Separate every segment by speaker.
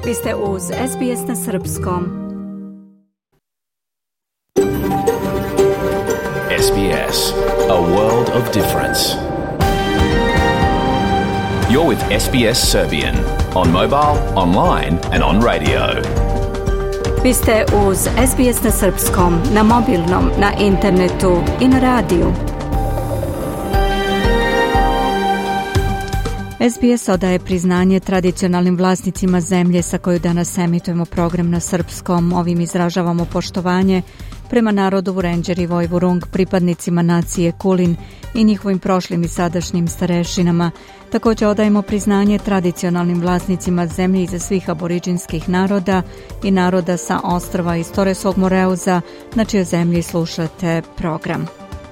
Speaker 1: Vi ste uz SBS na srpskom.
Speaker 2: SBS, a world of difference. You're with SBS Serbian on mobile, online and on radio.
Speaker 1: Vi ste uz SBS na srpskom, na mobilnom, na internetu i na radiju. SBS odaje priznanje tradicionalnim vlasnicima zemlje sa koju danas emitujemo program na srpskom. Ovim izražavamo poštovanje prema narodu Vurenđer i Vojvurung, pripadnicima nacije Kulin i njihovim prošlim i sadašnjim starešinama. Također odajemo priznanje tradicionalnim vlasnicima zemlje iza svih aboriđinskih naroda i naroda sa ostrva iz Toresog Moreuza, na čijoj zemlji slušate program.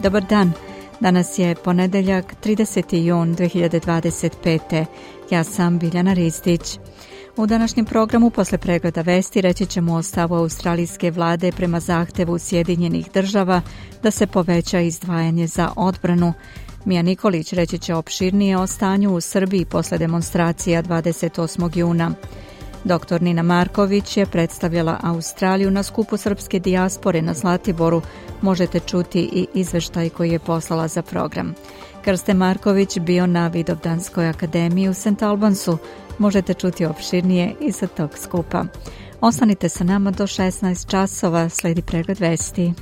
Speaker 1: Dobar dan. Danas je ponedeljak, 30. jun 2025. Ja sam Biljana Ristić. U današnjem programu posle pregleda vesti reći ćemo o stavu australijske vlade prema zahtevu Sjedinjenih država da se poveća izdvajanje za odbranu. Mija Nikolić reći će opširnije o stanju u Srbiji posle demonstracija 28. juna. Dr. Nina Marković je predstavljala Australiju na skupu srpske dijaspore na Zlatiboru. Možete čuti i izveštaj koji je poslala za program. Krste Marković bio na Vidovdanskoj akademiji u St. Albansu. Možete čuti opširnije i sa tog skupa. Ostanite sa nama do 16 časova, sledi pregled vesti.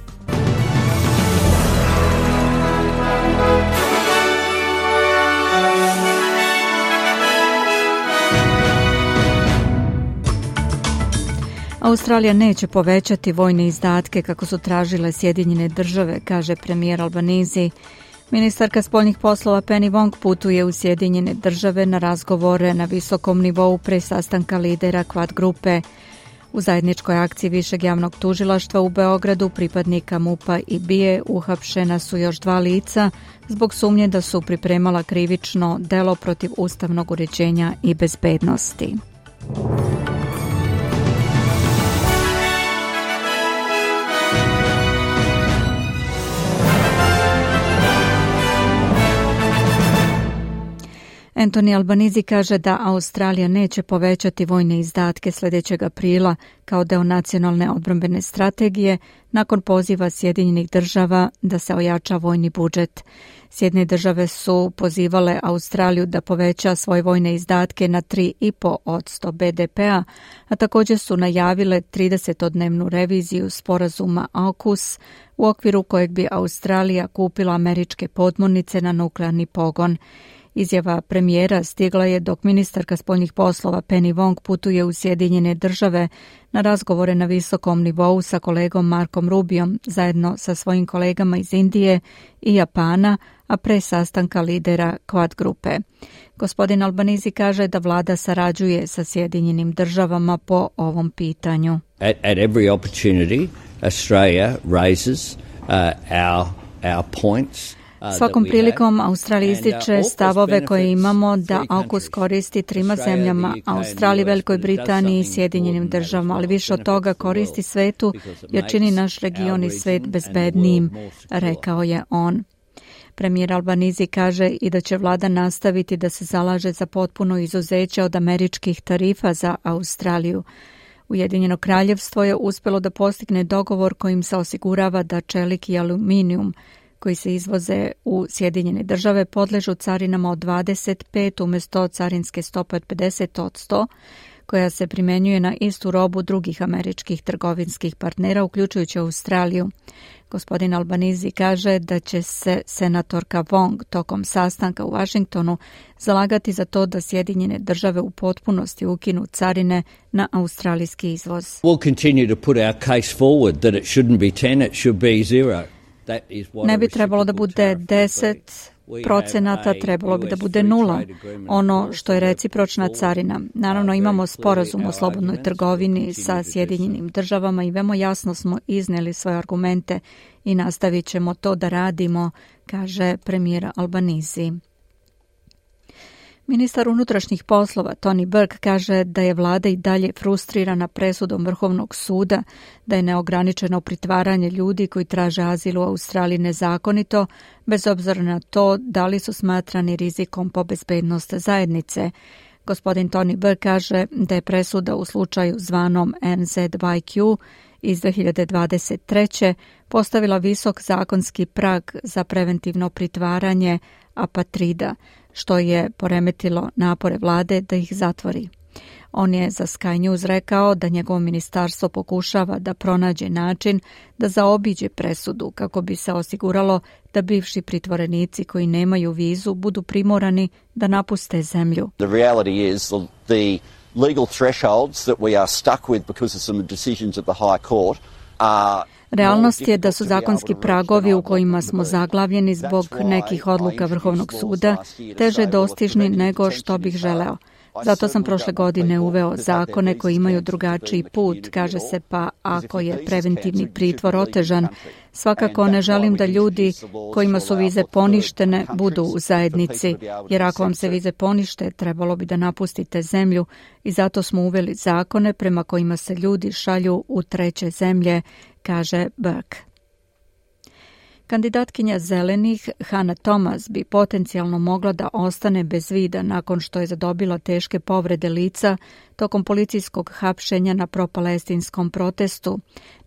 Speaker 1: Australija neće povećati vojne izdatke kako su tražile Sjedinjene države, kaže premijer Albanese. Ministarka spoljnih poslova Penny Wong putuje u Sjedinjene države na razgovore na visokom nivou pre sastanka lidera Quad grupe. U zajedničkoj akciji Višeg javnog tužilaštva u Beogradu pripadnika MUP-a i BIA uhapšena su još 2 lica zbog sumnje da su pripremala krivično delo protiv ustavnog uređenja i bezbednosti. Anthony Albanese kaže da Australija neće povećati vojne izdatke sljedećeg aprila kao deo nacionalne odbrambene strategije nakon poziva Sjedinjenih država da se ojača vojni budžet. Sjedinjene države su pozivale Australiju da poveća svoje vojne izdatke na 3,5% BDP-a, a također su najavile 30-dnevnu reviziju sporazuma AUKUS u okviru kojeg bi Australija kupila američke podmornice na nuklearni pogon. Izjava premijera stigla je dok ministarka spoljnih poslova Penny Wong putuje u Sjedinjene države na razgovore na visokom nivou sa kolegom Markom Rubiom zajedno sa svojim kolegama iz Indije i Japana, a pre sastanka lidera Quad grupe. Gospodin Albanese kaže da vlada sarađuje sa Sjedinjenim državama po ovom pitanju.
Speaker 3: At every opportunity, Australia raises our points.
Speaker 1: Svakom prilikom Australija ističe stavove koje imamo da AUKUS koristi 3 zemljama, Australiji, Velikoj Britaniji i Sjedinjenim državama, ali više od toga koristi svetu jer čini naš region i svet bezbednijim, rekao je on. Premijer Albanese kaže i da će vlada nastaviti da se zalaže za potpuno izuzeće od američkih tarifa za Australiju. Ujedinjeno kraljevstvo je uspjelo da postigne dogovor kojim se osigurava da čelik i aluminijum koji se izvoze u Sjedinjene države podležu carinama od 25 umjesto carinske stope od 50%, koja se primjenjuje na istu robu drugih američkih trgovinskih partnera, uključujući Australiju. Gospodin Albanese kaže da će se senatorka Wong tokom sastanka u Washingtonu zalagati za to da Sjedinjene države u potpunosti ukinu carine na australijski izvoz.
Speaker 3: We'll continue to put our case forward that it shouldn't be 10, it should be 0.
Speaker 1: Ne bi trebalo da bude 10%, trebalo bi da bude 0, ono što je recipročna carina. Naravno, imamo sporazum o slobodnoj trgovini sa Sjedinjenim državama i veoma jasno smo iznijeli svoje argumente i nastavit ćemo to da radimo, kaže premijer Albanese. Ministar unutrašnjih poslova Tony Burke kaže da je vlada i dalje frustrirana presudom Vrhovnog suda, da je neograničeno pritvaranje ljudi koji traže azil u Australiji nezakonito, bez obzira na to da li su smatrani rizikom po bezbednost zajednice. Gospodin Tony Burke kaže da je presuda u slučaju zvanom NZYQ iz 2023. postavila visok zakonski prag za preventivno pritvaranje apatrida, što je poremetilo napore vlade da ih zatvori. On je za Sky News rekao da njegovo ministarstvo pokušava da pronađe način da zaobiđe presudu kako bi se osiguralo da bivši pritvorenici koji nemaju vizu budu primorani da napuste zemlju.
Speaker 4: The reality is the legal thresholds that we are stuck with because of some decisions of the High Court are
Speaker 1: Realnost je da su zakonski pragovi u kojima smo zaglavljeni zbog nekih odluka Vrhovnog suda teže dostižni nego što bih želeo. Zato sam prošle godine uveo zakone koji imaju drugačiji put, kaže se, pa ako je preventivni pritvor otežan, svakako ne želim da ljudi kojima su vize poništene budu u zajednici, jer ako vam se vize ponište, trebalo bi da napustite zemlju i zato smo uveli zakone prema kojima se ljudi šalju u treće zemlje, kaže Burke. Kandidatkinja Zelenih Hannah Thomas bi potencijalno mogla da ostane bez vida nakon što je zadobila teške povrede lica tokom policijskog hapšenja na propalestinskom protestu.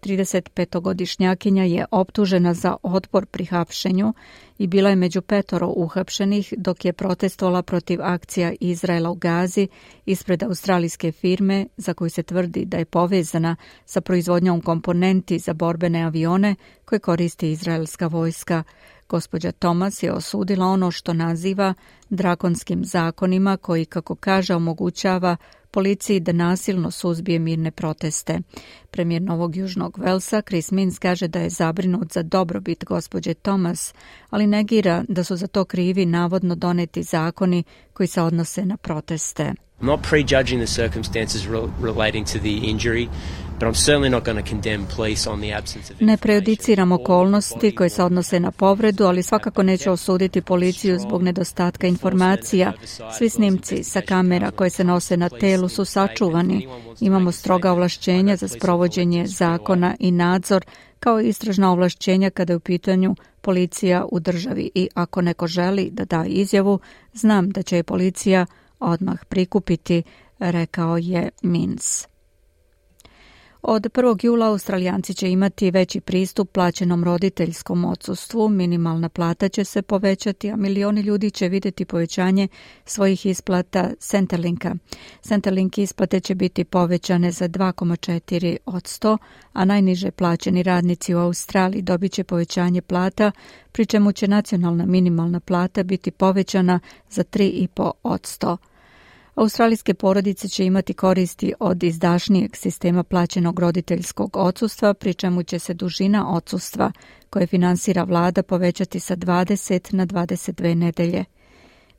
Speaker 1: 35-godišnjakinja je optužena za otpor pri hapšenju i bila je među 5 uhapšenih dok je protestovala protiv akcija Izraela u Gazi ispred australijske firme za koju se tvrdi da je povezana sa proizvodnjom komponenti za borbene avione koje koristi izraelska vojska. Gospođa Thomas je osudila ono što naziva drakonskim zakonima koji, kako kaže, omogućava policiji da nasilno suzbije mirne proteste. Premijer Novog Južnog Velsa Chris Minns kaže da je zabrinut za dobrobit gospođe Thomas, ali negira da su za to krivi navodno doneti zakoni koji se odnose na proteste.
Speaker 5: I'm not prejudging the circumstances relating to the injury, but I'm certainly not going to condemn police on the absence of information.
Speaker 1: Ne prejudiciram okolnosti koje se odnose na povredu, ali svakako neću osuditi policiju zbog nedostatka informacija. Svi snimci sa kamera koje se nose na telu su sačuvani. Imamo stroga ovlašćenja za sprovođenje zakona i nadzor, kao i istražna ovlašćenja kada je u pitanju policija u državi. I ako neko želi da da izjavu, znam da će je policija odmah prikupiti, rekao je Minns. Od 1. jula Australijanci će imati veći pristup plaćenom roditeljskom odsustvu, minimalna plata će se povećati, a milioni ljudi će vidjeti povećanje svojih isplata Centrelinka. Centrelink isplate će biti povećane za 2,4%, a najniže plaćeni radnici u Australiji dobit će povećanje plata, pri čemu će nacionalna minimalna plata biti povećana za 3,5%. Australijske porodice će imati koristi od izdašnijeg sistema plaćenog roditeljskog odsustva, pri čemu će se dužina odsustva koje finansira vlada povećati sa 20 na 22 nedelje.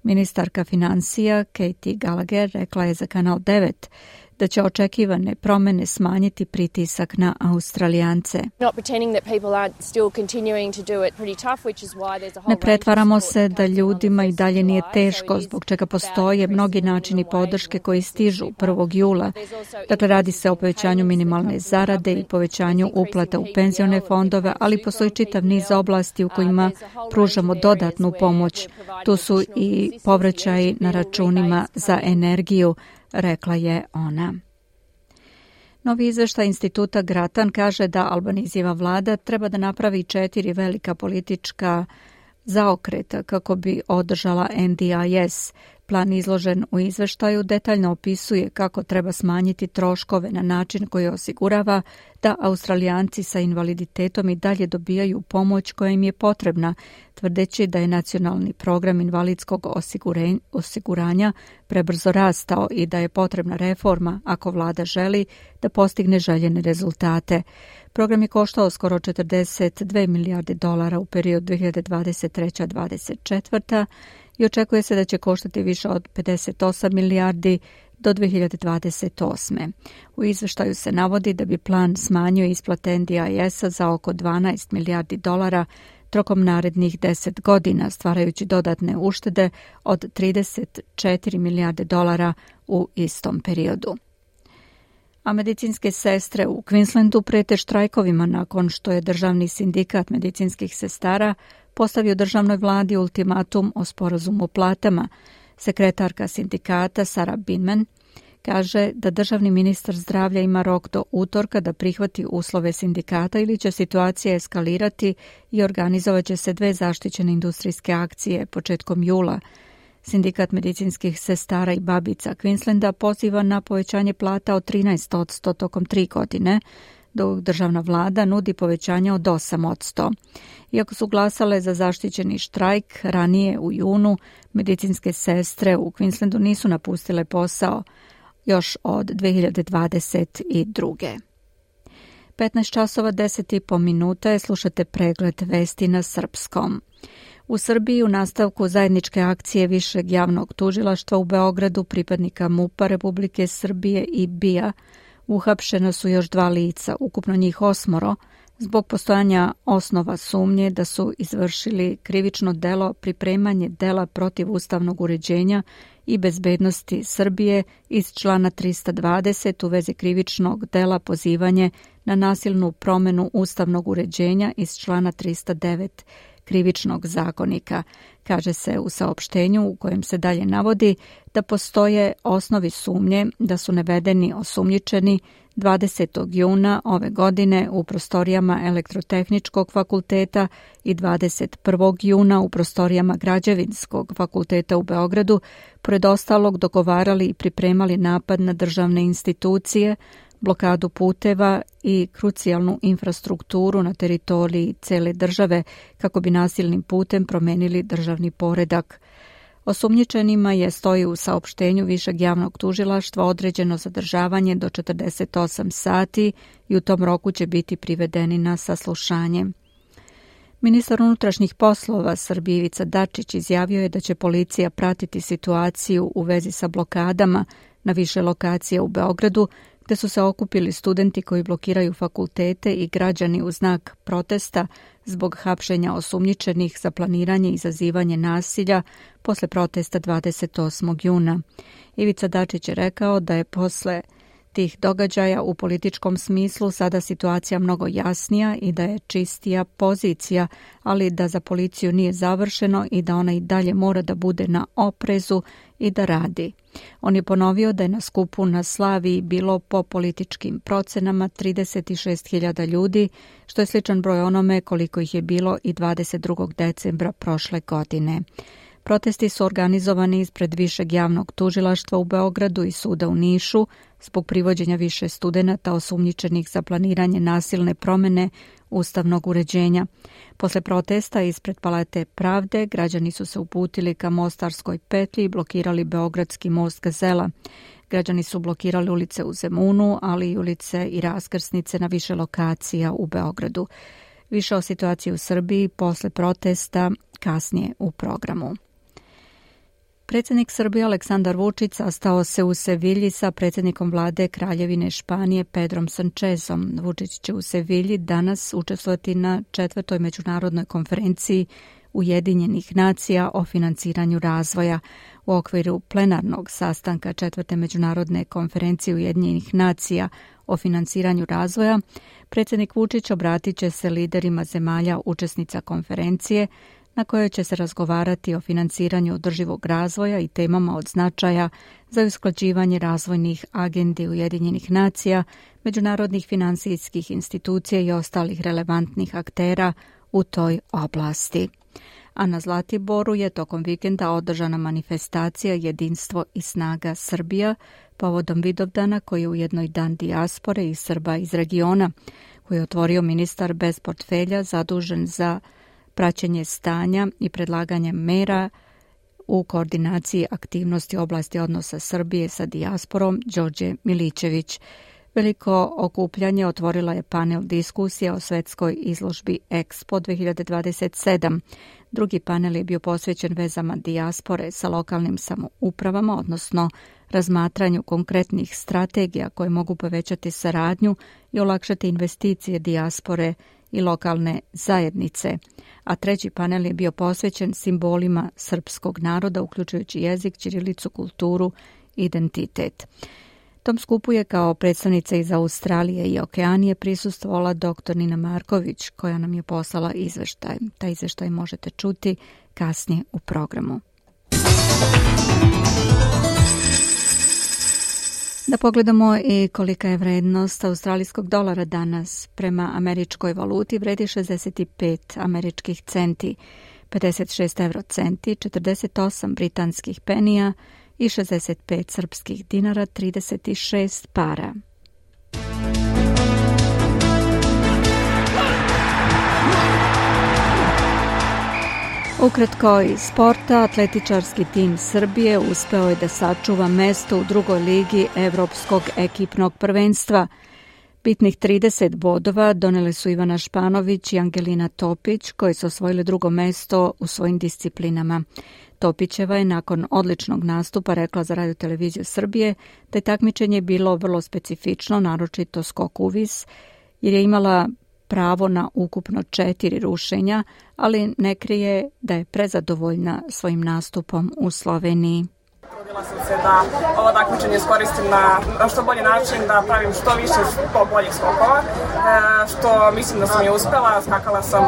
Speaker 1: Ministarka financija Katie Gallagher rekla je za Kanal 9 da će očekivane promjene smanjiti pritisak na Australijance. Ne pretvaramo se da ljudima i dalje nije teško, zbog čega postoje mnogi načini podrške koji stižu 1. jula. Dakle, radi se o povećanju minimalne zarade i povećanju uplata u penzione fondove, ali postoji čitav niz oblasti u kojima pružamo dodatnu pomoć. Tu su i povraćaji na računima za energiju, rekla je ona. Novi izveštaj instituta Grattan kaže da Albanizijeva vlada treba da napravi 4 velika politička zaokreta kako bi održala NDIS. Plan izložen u izveštaju detaljno opisuje kako treba smanjiti troškove na način koji osigurava da Australijanci sa invaliditetom i dalje dobijaju pomoć koja im je potrebna, tvrdeći da je nacionalni program invalidskog osiguranja prebrzo rastao i da je potrebna reforma ako vlada želi da postigne željene rezultate. Program je koštao skoro 42 milijarde dolara u periodu 2023-2024 i očekuje se da će koštati više od 58 milijardi do 2028. U izveštaju se navodi da bi plan smanjio isplate NDIS-a za oko 12 milijardi dolara tokom narednih 10 godina, stvarajući dodatne uštede od 34 milijarde dolara u istom periodu. A medicinske sestre u Queenslandu prete štrajkovima nakon što je državni sindikat medicinskih sestara postavio državnoj vladi ultimatum o sporazumu o platama. Sekretarka sindikata Sara Binman kaže da državni ministar zdravlja ima rok do utorka da prihvati uslove sindikata ili će situacija eskalirati i organizovat će se 2 zaštićene industrijske akcije početkom jula. Sindikat medicinskih sestara i babica Queenslanda poziva na povećanje plata od 13% tokom 3 godine, dok državna vlada nudi povećanje od 8%. Iako su glasale za zaštićeni štrajk, ranije u junu medicinske sestre u Queenslandu nisu napustile posao još od 2022. 15 časova 10,5 minuta je, slušate pregled vesti na srpskom. U Srbiji u nastavku zajedničke akcije Višeg javnog tužilaštva u Beogradu, pripadnika MUP-a Republike Srbije i BIA, uhapšena su još 2 lica, ukupno njih 8, zbog postojanja osnova sumnje da su izvršili krivično delo pripremanje dela protiv ustavnog uređenja i bezbednosti Srbije iz člana 320 u vezi krivičnog dela pozivanje na nasilnu promenu ustavnog uređenja iz člana 309 krivičnog zakonika. Kaže se u saopštenju u kojem se dalje navodi da postoje osnovi sumnje da su navedeni osumnjičeni 20. juna ove godine u prostorijama Elektrotehničkog fakulteta i 21. juna u prostorijama Građevinskog fakulteta u Beogradu, pored ostalog dogovarali i pripremali napad na državne institucije, blokadu puteva i krucijalnu infrastrukturu na teritoriji cele države kako bi nasilnim putem promenili državni poredak. Osumnjičenima je, stoji u saopštenju Višeg javnog tužilaštva, određeno zadržavanje do 48 sati i u tom roku će biti privedeni na saslušanje. Ministar unutrašnjih poslova Srbije Ivica Dačić izjavio je da će policija pratiti situaciju u vezi sa blokadama na više lokacija u Beogradu, gde su se okupili studenti koji blokiraju fakultete i građani u znak protesta zbog hapšenja osumnjičenih za planiranje i izazivanje nasilja posle protesta 28. juna. Ivica Dačić je rekao da je posle tih događaja u političkom smislu sada situacija mnogo jasnija i da je čistija pozicija, ali da za policiju nije završeno i da ona i dalje mora da bude na oprezu i da radi. On je ponovio da je na skupu na Slaviji bilo po političkim procenama 36.000 ljudi, što je sličan broj onome koliko ih je bilo i 22. decembra prošle godine. Protesti su organizovani ispred Višeg javnog tužilaštva u Beogradu i suda u Nišu zbog privođenja više studenata osumnjičenih za planiranje nasilne promene ustavnog uređenja. Posle protesta ispred Palate pravde građani su se uputili ka Mostarskoj petlji i blokirali Beogradski most Gazela. Građani su blokirali ulice u Zemunu, ali i ulice i raskrsnice na više lokacija u Beogradu. Više o situaciji u Srbiji posle protesta kasnije u programu. Predsjednik Srbije Aleksandar Vučić sastao se u Sevilji sa predsjednikom vlade Kraljevine Španije Pedrom Sanchezom. Vučić će u Sevilji danas učestvovati na 4. međunarodnoj konferenciji Ujedinjenih nacija o financiranju razvoja. U okviru plenarnog sastanka 4. međunarodne konferencije Ujedinjenih nacija o financiranju razvoja, predsjednik Vučić obratit će se liderima zemalja učesnica konferencije, na kojoj će se razgovarati o financiranju održivog razvoja i temama od značaja za usklađivanje razvojnih agendi Ujedinjenih nacija, međunarodnih finansijskih institucija i ostalih relevantnih aktera u toj oblasti. A na Zlatiboru je tokom vikenda održana manifestacija Jedinstvo i snaga Srbija povodom Vidovdana, koji je ujedno i dan dijaspore i Srba iz regiona, koji je otvorio ministar bez portfelja zadužen za praćenje stanja i predlaganje mera u koordinaciji aktivnosti oblasti odnosa Srbije sa dijasporom Đorđe Milićević. Veliko okupljanje otvorila je panel diskusija o svetskoj izložbi Expo 2027. Drugi panel je bio posvećen vezama dijaspore sa lokalnim samoupravama, odnosno razmatranju konkretnih strategija koje mogu povećati saradnju i olakšati investicije dijaspore i lokalne zajednice, a treći panel je bio posvećen simbolima srpskog naroda, uključujući jezik, ćirilicu, kulturu i identitet. Tom skupu je kao predstavnica iz Australije i Okeanije prisustvovala dr. Nina Marković, koja nam je poslala izveštaj. Taj izveštaj možete čuti kasnije u programu. Da pogledamo i kolika je vrednost australijskog dolara danas. Prema američkoj valuti vredi 65 američkih centi, 56 eurocenti, 48 britanskih penija i 65 srpskih dinara, 36 para. Ukratko iz sporta, atletičarski tim Srbije uspeo je da sačuva mesto u drugoj ligi Evropskog ekipnog prvenstva. Bitnih 30 bodova doneli su Ivana Španović i Angelina Topić, koji su osvojili drugo mesto u svojim disciplinama. Topićeva je nakon odličnog nastupa rekla za Radio televiziju Srbije da je takmičenje bilo vrlo specifično, naročito skok u vis, jer je imala pravo na ukupno 4 rušenja, ali ne krije da je prezadovoljna svojim nastupom u Sloveniji.
Speaker 6: Trudila sam se da ovo takmičenje iskoristim na što bolji način, da pravim što više boljih skokova, što mislim da sam je uspela. Skakala sam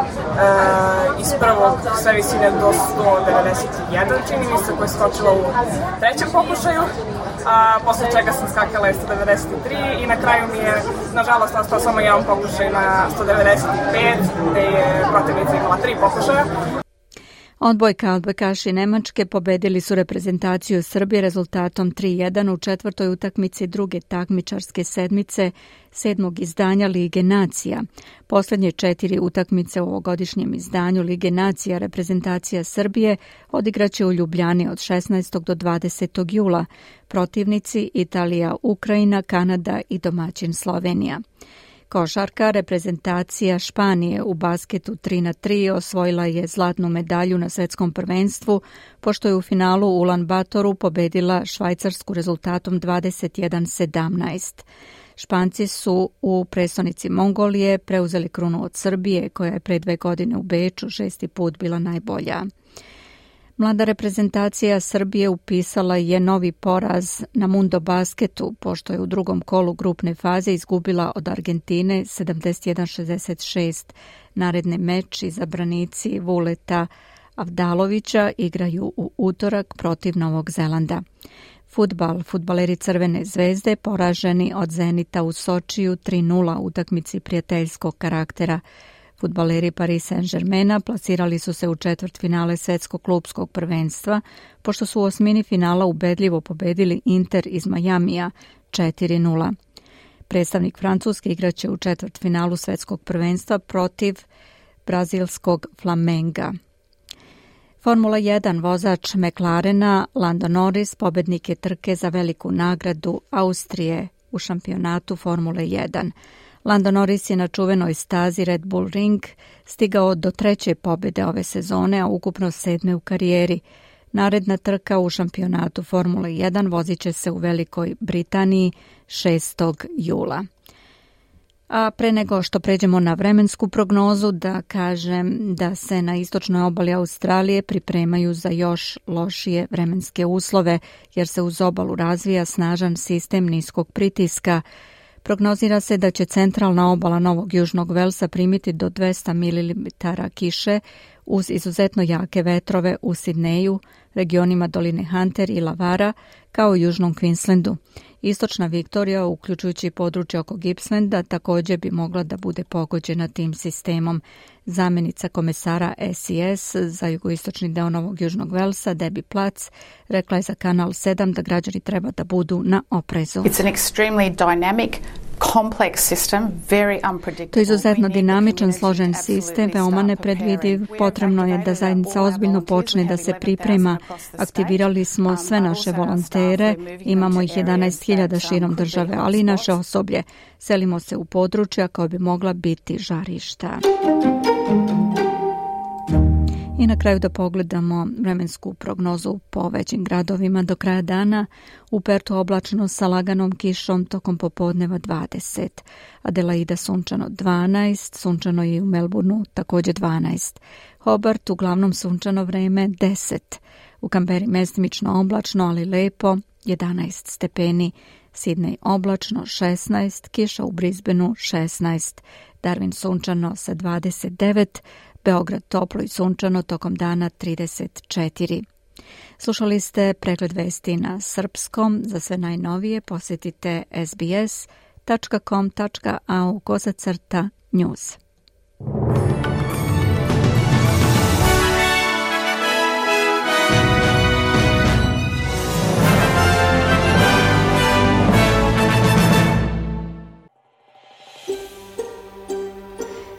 Speaker 6: iz prvog sve visine do 191, čini mi se, koja je skočila u trećem pokušaju, a posle čega sam skakala 193 i na kraju mi je, nažalost, ostao samo jedan pokušaj na 195, gde je protivnica imala 3 pokušaja.
Speaker 1: Odbojkaši Nemačke pobedili su reprezentaciju Srbije rezultatom 3:1 u četvrtoj utakmici druge takmičarske sedmice 7. izdanja Lige nacija. Posljednje 4 utakmice u ovogodišnjem izdanju Lige nacija reprezentacija Srbije odigraće u Ljubljani od 16. do 20. jula. Protivnici Italija, Ukrajina, Kanada i domaćin Slovenija. Košarka, reprezentacija Španije u basketu 3x3 osvojila je zlatnu medalju na svetskom prvenstvu, pošto je u finalu u Ulan Batoru pobedila Švajcarsku rezultatom 21-17. Španci su u prestonici Mongolije preuzeli krunu od Srbije, koja je pre 2 godine u Beču 6. put bila najbolja. Mlada reprezentacija Srbije upisala je novi poraz na Mundo basketu, pošto je u drugom kolu grupne faze izgubila od Argentine 71-66. Naredni meč izabranici Vuleta Avdalovića igraju u utorak protiv Novog Zelanda. Fudbaleri Crvene zvezde poraženi od Zenita u Sočiju 3:0 utakmici prijateljskog karaktera. Fudbaleri Paris Saint-Germaina plasirali su se u četvrtfinale svetskog klubskog prvenstva, pošto su u osmini finala ubedljivo pobedili Inter iz Majamija 4:0. Predstavnik Francuske igraće u četvrtfinalu svetskog prvenstva protiv brazilskog Flamenga. Formula 1 vozač McLarena Lando Norris pobednik je trke za veliku nagradu Austrije u šampionatu Formule 1. Lando Norris je na čuvenoj stazi Red Bull Ring stigao do 3. pobjede ove sezone, a ukupno 7. u karijeri. Naredna trka u šampionatu Formule 1 vozit će se u Velikoj Britaniji 6. jula. A pre nego što pređemo na vremensku prognozu, da kažem da se na istočnoj obali Australije pripremaju za još lošije vremenske uslove, jer se uz obalu razvija snažan sistem niskog pritiska. Prognozira se da će centralna obala Novog Južnog Velsa primiti do 200 mm kiše uz izuzetno jake vetrove u Sidneju, regionima doline Hunter i Lavara, kao i južnom Queenslandu. Istočna Viktorija, uključujući područje oko Gippslanda, također bi mogla da bude pogođena tim sistemom. Zamjenica komesara SES za jugoistočni deo Novog Južnog Velsa, Debbie Platz, rekla je za Kanal 7 da građani treba da budu na oprezu.
Speaker 7: It's an extremely dynamic, complex system, very unpredictable.
Speaker 1: To je izuzetno dinamičan, složen sistem, veoma nepredvidiv. Potrebno je da zajednica ozbiljno počne da se priprema. Aktivirali smo sve naše volontere, imamo ih 11.000 širom države, ali i naše osoblje. Selimo se u područja koja bi mogla biti žarišta. I na kraju da pogledamo vremensku prognozu po većim gradovima do kraja dana. U Pertu oblačno sa laganom kišom, tokom popodneva 20. Adelaida sunčano 12, sunčano je i u Melbourneu također 12. Hobart uglavnom sunčano vreme 10. U Kamberi mestimično oblačno, ali lepo 11 stepeni. Sidney oblačno 16, kiša u Brisbaneu 16. Darwin sunčano sa 29, Beograd toplo i sunčano tokom dana 34. Slušali ste pregled vesti na srpskom. Za sve najnovije posjetite sbs.com.au/news.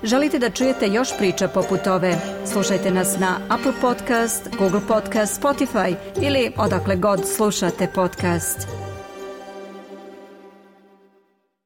Speaker 1: Želite da čujete još priča poput ove? Slušajte nas na Apple Podcast, Google Podcast, Spotify ili odakle god slušate podcast.